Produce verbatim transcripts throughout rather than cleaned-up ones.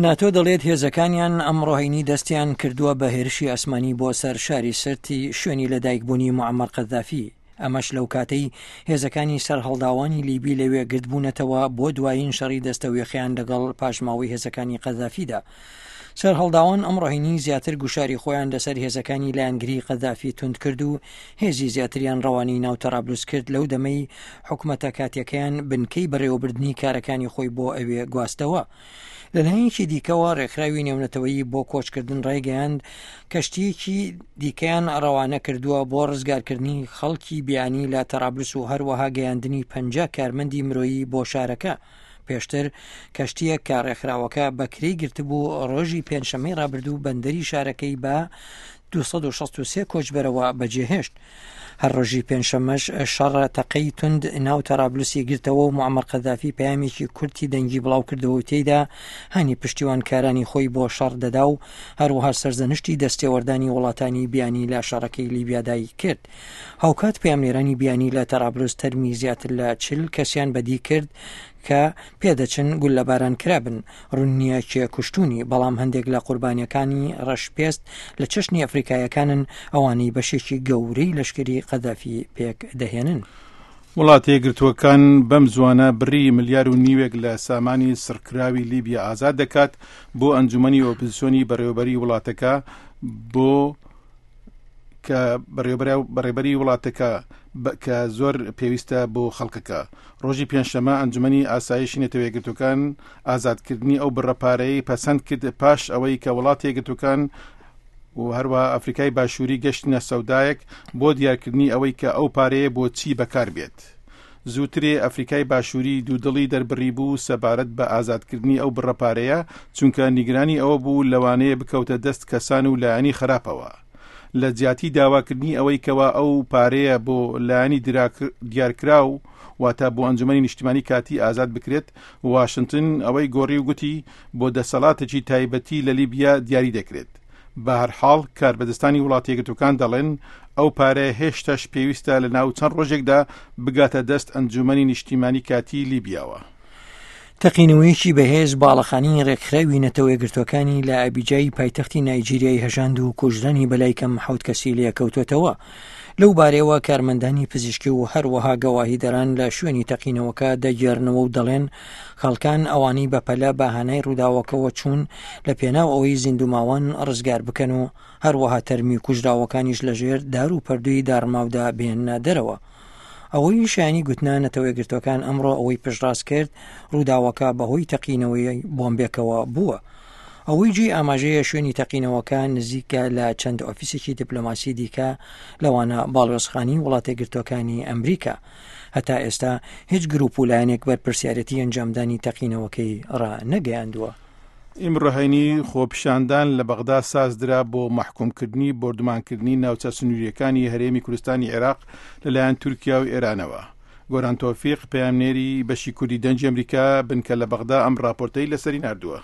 ناتۆ دەڵێت هێزەکانیان ئەمڕۆ هەینی دەستیان کردووە بە هێرشی ئاسمانی بۆ سەر شاری سرتی شوێنی لەدایکبوونی معەمەر قەذافی، ئەمەش لەو کاتەی هێزەکانی سەرهەڵداوانی لیبی لەوێ گردبوونەتەوە بۆ دوایین شەڕی دەستەویەخەیان لەگەڵ پاشماوەی هێزەکانی قەذافیدا. سەرهەڵداوان ئەمڕۆ هەینی زیاتر گوشاری خۆیان لەسەر هێزەکانی لایەنگری قەذافی توند کرد و هێزی زیاتریان ڕەوانەی ناو تەرابلوس کرد لەو دەمەی حکومەتە کاتیەکەیان بنکەی بەڕێوەبردنی کارەکانی خۆی بۆ ئەوێ گواستەوە. لەلایەکی دیکەوە ڕێکخراوی نێونەتەوەیی بۆ کۆچکردن ڕایگەیاند کەشتییەکی دیکەیان ڕەوانە کردووە بۆ ڕزگارکردنی خەڵکی بیانی لە تەرابلس و هەروەها گەیاندنی پەنجا کارمەندی مرۆیی بۆ شارەکە. پێشتر کەشتییەک کە ڕێکخراوەکە بە کرێی گرتبوو ڕۆژی پێنجشەممەی ڕابردوو بەندەری شارەکەی بە دوو سەد و شەست و سێ کۆچبەرەوە بەجێهێشت. هەر ڕۆژی پێنجشەممەش شەڕە تەقەی توند ناو تەرابلوسی گرتەوە و معەمەر قەذافی پەیامێکی کورتی دەنگی بڵاوکردەوە و تێیدا هانی پشتیوانکارانی خۆی بۆ شەڕ دەدا و هەروەها سەرزەنشتی دەستێوەردانی وڵاتانی بیانی لە شەڕەکەی لیبیادای کرد. هاوکات پەیامنێرانی بیانی لە تەرابلوس تەرمی زیاتر لە چل کەسیان بەدی کرد کە پێدەچن گوللەباران کرابن، ڕوون نییە کێ کوشتوونی، بەڵام هەندێک لە قوربانییەکانی ڕەشپێست لە چەشنی ئەفریکاییەکانن، ئەوانەی بەشێکی گەورەی لەشکری قەدافی پێک دەهێنن. وڵاتە یەکگرتووەکان بەم زووانە بڕی ملیار و نیوێک لە سامانی سڕکراوی لیبیا ئازاد دەکات بۆ ئەنجومەنی ئۆپزسیۆنی بەڕێوەبەری وڵاتەکە بۆ کە بەڕێبەری وڵاتەکە کە زۆر پێویستە بۆ خەڵکەکە. ڕۆژی پێنجشەممە ئەنجومەنی ئاسایشی نەتەوە یەکگرتووەکان ئازادکردنی ئەو بڕە پارەیەی پەسەند کرد پاش ئەوەی کە وڵاتە یەکگرتووەکان و هەروەها ئەفریکای باشووری گەشتنە سەودایەک بۆ دیارکردنی ئەوەی کە ئەو پارەیە بۆ چی بەکار بێت. زووترێ ئەفریکای باشووری دوودڵی دەربڕیبوو سەبارەت بە ئازادکردنی ئەو بڕە پارەیە چونکە نیگرانی ئەوە بوو لەوانەیە بکەوتە دەست کەسان و لایەنی خراپەوە. لە جیاتی داواکردنی ئەوەی کەوا ئەو پارەیە بۆ لایەنی دیارکراو واتە بۆ ئەنجومەنی نیشتیمانی کاتی ئازاد بکرێت، واشنتن ئەوەی گۆڕی و گوتی بۆ دەسەڵاتێکی تایبەتی لە لیبیا دیاری دەکرێت. بەهەرحاڵ کاربەدەستانی وڵاتە یەکگرتووەکان دەڵێن ئەو پارەیە هێشتاش پێویستە لە ناو چەند ڕۆژێکدا بگاتە دەست ئەنجومەنی نیشتیمانی کاتی لیبیاوە. تەقینەوەیەکی بەهێز باڵەخانەی ڕێکخراوی نەتەوە یەکگرتووەکانی لە ئەبیجای پایتەختی نایجیریای هەژاند و کوژرانی بەلای کەم حەوت کەسی لێکەوتووەتەوە. لەو بارەیەوە کارمەندانی پزیشکی و هەروەها گەواهیدەران لە شوێنی تەقینەوەکە دەگێڕنەوە و دەڵێن خەڵکان ئەوانەی بەپەلە بە هانای ڕووداوەکەوە چوون لە پێناو ئەوەی زیندووماوان ڕزگار بکەن و هەروەها تەرمی کوژراوەکانیش لەژێر دار و پەردووی داڕماودا بهێننە دەرەوە. ئەوەی شایانی گوتنە نەتەوە یەکگرتووەکان ئەمڕۆ ئەوەی پشتڕاست کرد ڕووداوەکە بەهۆی تەقینەوەی بۆمبێکەوە بووە. ئەوەی جێی ئاماژەیە شوێنی تەقینەوەکە نزیکە لە چەند ئۆفیسێکی دیپلۆماسی دیکە لەوانە باڵیۆزخانەی وڵاتە یەکگرتووەکانی ئەمریکا. هەتا ئێستا هیچ گروپ و لایەنێک بەرپرسیارێتی ئەنجامدانی تەقینەوەکەی ڕانەگەیاندووە. ئیمڕۆ هەینی خۆپیشاندان لە بەغدا سازدرا بۆ مەحکومکردنی بۆردومانکردنی ناوچە سنوورییەکانی هەرێمی کوردستانی عێراق لەلایەن تورکیا و ئێرانەوە. گۆران تۆفیق، پەیامنێری بەشی کوردی دەنگی ئەمریکا، بنکە لە بەغدا ئەم ڕاپۆرتەی لەسەری ناردووە.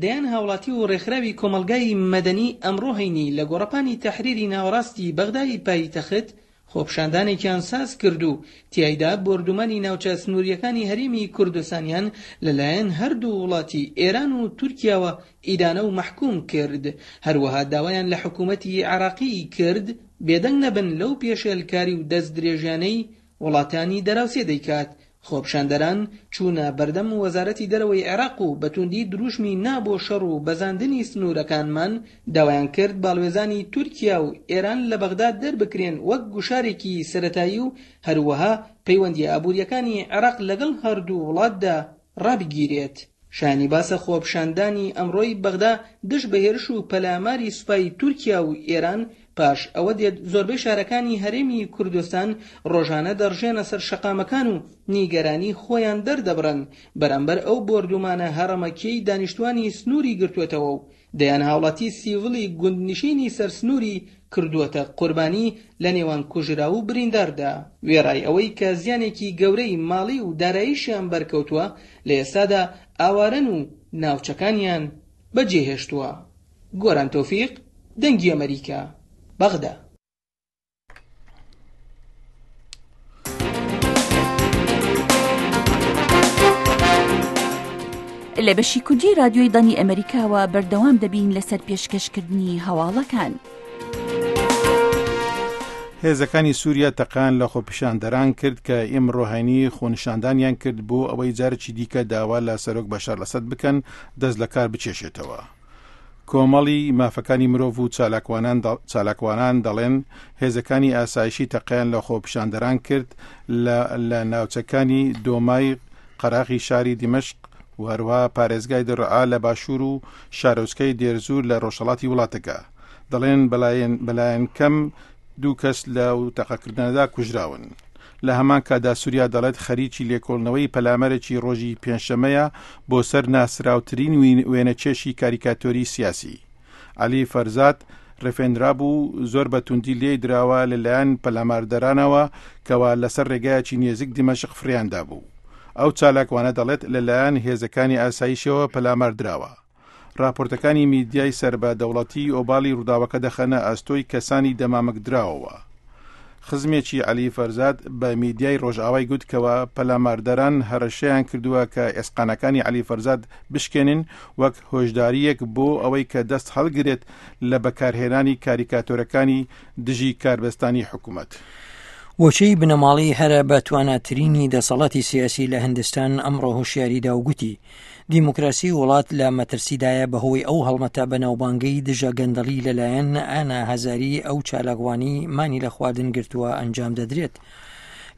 دەیان هاوڵاتی و ڕێکخراوی کۆمەڵگای مەدەنی ئەمڕۆ هەینی لە گۆڕەپانی تەحریری ناوەڕاستی بەغدای پایتەخت خۆپیشاندانێکیان ساز کرد و تیایدا بۆردومانی ناوچە سنوورییەکانی هەرێمی کوردستانیان لەلایەن هەردوو وڵاتی ئێران و تورکیاوە ئیدانە و مەحکوم کرد، هەروەها داوایان لە حکومەتی عێراقی کرد بێدەنگ نەبن لەو پێشێلکاری و دەستدرێژیانەی وڵاتانی دەراوسێ دەیکات. خۆپیشاندەران چوونە بەردەم وەزارەتی دەرەوەی عێراق و بە تووندی درووشمی نا بۆ شەڕ و بەزاندنی سنوورەکانمان داوایان کرد باڵوێزانی تورکیا و ئێران لە بەغدا دەربکرێن وەک گوشارێکی سەرەتایی و هەروەها پەیوەندییە ئابوورییەکانی عێراق لەگەڵ هەردوو وڵاتدا ڕابگیرێت. شایانی باسە خۆپیشاندانی ئەمڕۆی بەغدا دژ بە هێرش و پەلاماری سوپای تورکیا و ئێران پاش ئەوە دێت زۆربەی شارەکانی هەرێمی کوردستان ڕۆژانە دەڕژێنە سەر شەقامەکان و نیگەرانی خۆیان دەردەبڕن بەرامبەر ئەو بۆردومانە هەڕەمەکیەی دانیشتوانی سنوری گرتووەتەوە و دەیان هاوڵاتی سیڤڵی گوندنشینی سەر سنوری کردووەتە قوربانی لە نێوان کوژراو و برینداردا. وێڕای ئەوەی کە زیانێکی گەورەی ماڵی و داراییشیان بەرکەوتووە، لە ئێستادا ئاوارەن و ناوچەکانیان بەجێهێشتووە. گۆران تۆفیق، دەنگی ئەمەریکا، بەغدا. لە بەشی کوردی رادیۆی دەنگی ئەمریکاوە بەردەوام دەبین لەسەر پێشکەشکردنی هەواڵەکان. هێزەکانی سووریا تەقان لە خۆپیشاندەران کرد کە ئیمڕۆ هەینی خۆنیشاندانیان کرد بۆ ئەوەی جارێکی دیکە داوا لە سەرۆک بەشار ئەسەد بکەن دەست لە کار بچێشێتەوە. کۆمەڵی مافەکانی مرۆڤ و چالاکوانان دەڵێن هێزەکانی ئاسایشی تەقیان لە خۆپیشاندەران کرد لە ناوچەکانی دۆمای قەراغی شاری دیمەشق و هەروەها پارێزگای دەرعا لە باشوور و شارۆچکەی دێرزور لە ڕۆژهەڵاتی وڵاتەکە. دەڵێن بەلایەن کەم دوو کەس لە تەقەکردنەدا کوژراون. لە هەمان کاتدا سووریا دەڵێت خەریکی لێکۆڵنەوەی پەلامەرێکی ڕۆژی پێنجشەمەیە بۆ سەر ناسراوترین وێنەکێشی کاریکاتۆری سیاسی. عەلی فەرزاد ڕفێنرا بوو زۆر بە توندی لێی دراوە لەلایەن پەلاماردەرانەوە کەوا لەسەر ڕێگایەکی نێزیک دیمەشق فڕیاندا بوو. ئەو چالاکوانە دەڵێت لەلایەن هێزەکانی ئاسایشەوە پەلامار دراوە. راپۆرتەکانی میدیای سەر بە دەوڵەتی ئۆباڵی ڕووداوەکە دەخەنە ئەستۆی کەسانی دەمامکدراوەوە. خزمێکی عەلی فەرزاد بە میدیای ڕۆژئاوای گوت کەوە پەلاماردەران هەڕەشەیان کردووە کە ئێسقانەکانی عەلی فەرزاد بشکێنن وەک هۆشداریەک بۆ ئەوەی کە دەست هەڵگرێت لە بەکارهێنانی کاریکاتۆرەکانی دژی کاربەستانی حکوومەت. وەچەی بنەماڵەی هەرە بە تواناترینی دەسەڵاتی سیاسی لە هندستان ئەمڕۆ هۆشیاریدا و گوتی دیموکراسی وڵات لە مەترسیدایە بەهۆی ئەو هەڵمەتە بەناوبانگەی دژە گەندەڵی لەلایەن ئانا هەزاری ئەو چالاکوانی مانی لە خواردن گرتووە ئەنجام دەدرێت.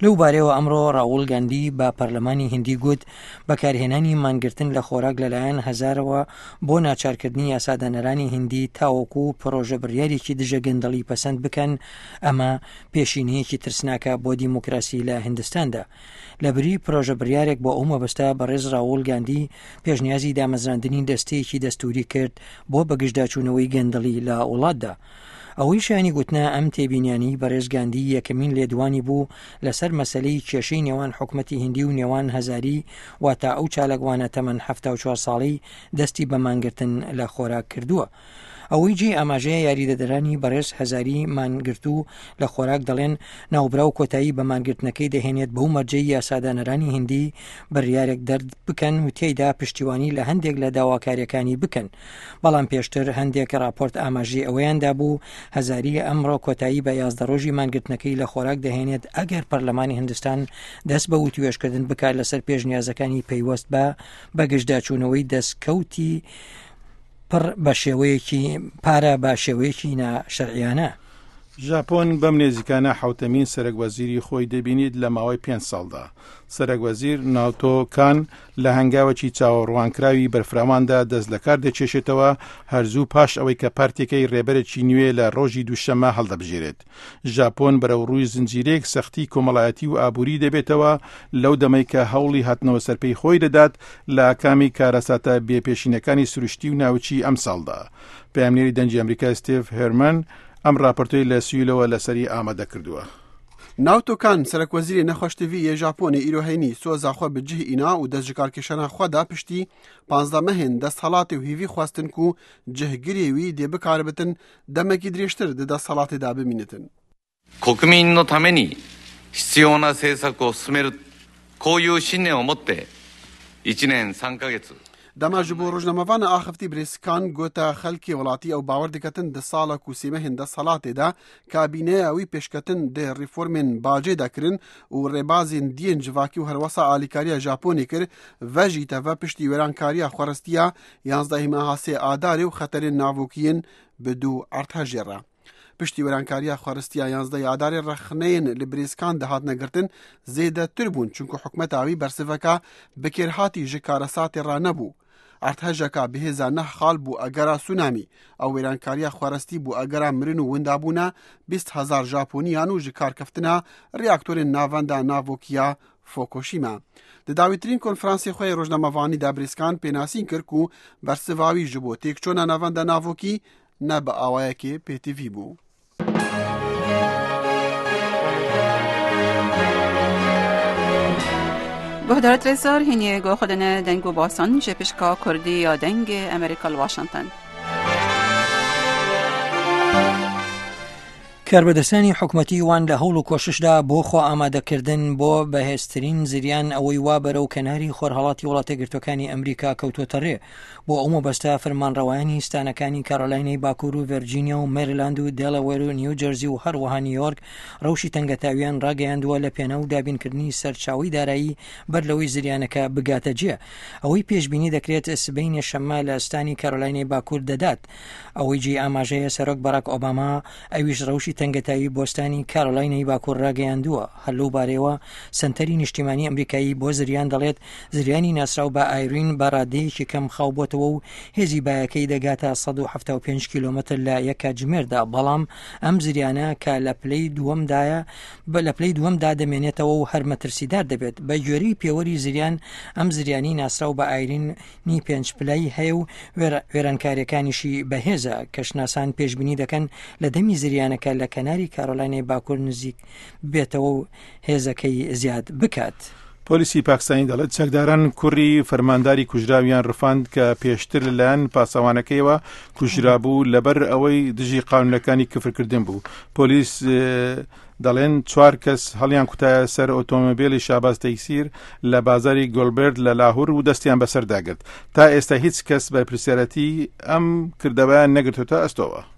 لەو بارەوە ئەمڕۆ ڕاوڵ گاندی بە پەرلەمانی هندی گوت بەکارهێنانی مانگرتن لە خۆراک لەلایەن هەزارەوە بۆ ناچارکردنی یاسادانەرانی هندی تاوەکو پرۆژە بڕیارێکی دژە گەندەڵی پەسەند بکەن، ئەمە پێشینەیەکی ترسناکە بۆ دیموکراسی لە هندستاندا. لەبری پرۆژە بڕیارێک بۆ ئەو مەبەستە بەڕێز ڕاوڵ گاندی پێشنیازی دامەزراندنی دەستەیەکی دەستوری کرد بۆ بەگشتداچوونەوەی گەندەڵی لە وڵاتدا. ئەوەی شایانی گوتنە ئەم تێبینیانی بەڕێز گاندی یەکەمین لێدوانی بوو لەسەر مەسلەی کێشەی نێوان حکومەتی هندی و نێوان هەزاری، واتە ئەو چالاکوانە تەمەن حەفتا و چوار ساڵی دەستی بە مانگرتن لە خۆراک کردووە. ئەوەی جێ ئاماژەیە یاریدەدەرانی بەڕێز هەزاری مانگرتوو لە خۆراک دەڵێن ناوبراو کۆتایی بە مانگرتنەکەی دەهێنێت بەو مەرجەی یاسادانەرانی هندی بڕیارێک دەرد بکەن و تێیدا پشتیوانی لە هەندێک لە داواکاریەکانی بکەن. بەڵام پێشتر هەندێک راپۆرت ئاماژەی ئەوەیان دابوو هەزاری ئەمڕۆ کۆتایی بە یازدە ڕۆژی مانگرتنەکەی لە خۆراک دەهێنێت ئەگەر پەرلەمانی هندستان دەست بە وتوێژکردن بکات لەسەر پێشنیازەکانی پەیوەست بە بەگشتداچوونەوەی دەستکەوتی پڕ بە شێوەیەکی پارە بە شێوەیەکی ناشەرعیانە. ژاپۆن بەم نێزیکانە حوتەمین سەرەک وەزیری خۆی دەبینیت لە ماوەی پێنج ساڵدا. سەرەک وەزیر ناوتۆ کان لە هەنگاوێکی چاوەڕوانکراوی بەرفراواندا دەست لە کار دەکێشێتەوە هەرزوو پاش ئەوەی کە پارتێکەی ڕێبەرێکی نوێ لە ڕۆژی دووشەممە هەڵدەبژێرێت. ژاپۆن بەرەو ڕووی زنجیرەیەک سەختی کۆمەڵایەتی و ئابووری دەبێتەوە لەو دەمەی کە هەوڵی هاتنەوە سەرپێی خۆی دەدات لە ئاکامی کارەساتە بێپێشینەکانی سروشتی و ناوچی ئەمساڵدا. پەیامنێری دەنگی ئەمریکا ستیڤ هێرمن ئەم راپۆرتەی لە سیولەوە لەسەری ئامادە کردووە. ناوتۆ کان سەرەک وەزیری نەخۆشتیڤی یە ژاپۆنی ئیرۆ هەینی سۆزا خۆ بەجێ ئینا و دەست ژکارکێشانە خۆدا پشتی پانزدە مەهێن دەستهەڵاتی و هیوی خواستن و جهگرێوی دێ بکاربتن دەمێکی درێژتر دە دەستهەڵاتێدا بمینێتن. 国民のために必要な政策を進めるこういう信念を持って一年三ヶ月 دەما ji bo rojnamevan axivtî birêzkan gota xelkê welatî ew bawer diketin di sala ku sêmehên desthilatê de kabîneya wî pêşketin di reformên bacê de kirin û rêbazên diyên civakî û herwesa alîkariya Japonê kir ve jî teve piştî wêrankariya xwerestiya yanzdehî meha sê Adarê û xeterên navokiyên bi dû erdhejê re. Piştî wêrankariya xwerestiya yanzdehî Adarê rexneyên li birêzkan dihatine girtin zêdetir bûn çunku hikûmeta wî bersiveka bikêrhatî ji karesatê re nebû. Erdhejeka bihêza neh xal bû egera tsunamî ew wêrankariya xwerestî bû egera mirin û windabûna bîst hezar Japoniyan û ji karkeftina reaktorên navenda navokiya Fukushima. Di dawîtirîn konferansê xwe yê rojnamevanî de birêzkan pênasîn kir ku bersiva wî ji bo têkçûna navenda navokî ne bi awayekê pêtivî bû. گهدارت رزار هینی گو خودن دنگو باسان جپشکا کردی یا دنگ امریکا واشنگتن. کاربەدەستانی حکومەتی وان لە هەوڵ و کۆششدا بۆ خۆ ئامادەکردن بۆ بەهێزترین زریان ئەوەی وا بەرەو کەناری خۆرهەڵاتی وڵاتە یەکگرتووەکانی ئەمریکا کەوتووەتە ڕێ. بۆ ئەو مەبەستە فەرمانڕەوایانی ستانەکانی کارۆلاینای باکوور و ڤێرجینیا و مێریلاند و دێلاوێر و نیوجێرزی و هەروەها نیویۆرک ڕەوشی تەنگەتاویان ڕاگەیاندووە لە پێناو دابینکردنی سەرچاوەی دارایی بەر لەوەی زریانەکە بگاتە جێ. ئەوەی پێشبینی دەکرێت سبەینێ شەممە لە ستانی کارۆلاینای باکوور دەدات. ئەوەی جێی ئاماژەیە سەرۆک باراک ئۆباما ئەویش ڕەوشی تەنگەتاوی بۆ ستانی کارۆلاینای باکوور ڕاگەیاندووە. هەر لەو بارەیەوە سەنتەری نیشتیمانی ئەمریکایی بۆ زریان دەڵێت زریانی ناسراو بە ئایرین بە ڕادەیەکی کەم خاو بۆتەوە و هێزی بایەکەی دەگاتە سەد و حەفتا و پێنج کیلۆمەتر لە یەک کاتژمێردا، بەڵام ئەم زریانە کە لە پلەی دووەمدایە لە پلەی دووەمدا دەمێنێتەوە و هەر مەترسیدار دەبێت. بە گوێرەی پێوەری زریان ئەم زریانی ناسراو بە ئایرین نی پێنج پلەی هەیە و وێرانکاریەکانیشی بەهێزە. کەشناسان پێشبینی دەکەن لە دەمی زریانەکە لە کەناری کارۆلاینای باکوور نزیک بێتەوە و هێزەکەی زیاد بکات. پۆلیسی پاکستانی دەڵێت چەکداران کوڕی فەرمانداری کوژراویان ڕفاند کە پێشتر لەلایەن پاسەوانەکەیەوە کوژرابوو لەبەر ئەوەی دژی قانونەکانی کفرکردن بوو. پۆلیس دەڵێن چوار کەس هەڵیان کوتایە سەر ئۆتۆمۆبیلی شاباز تەیسیر لە بازاری گۆلبرد لە لاهور و دەستیان بەسەرداگرت. تا ئێستا هیچ کەس بەرپرسیارەتی ئەم کردەوەیان نەگرتوتە ئەستۆوە.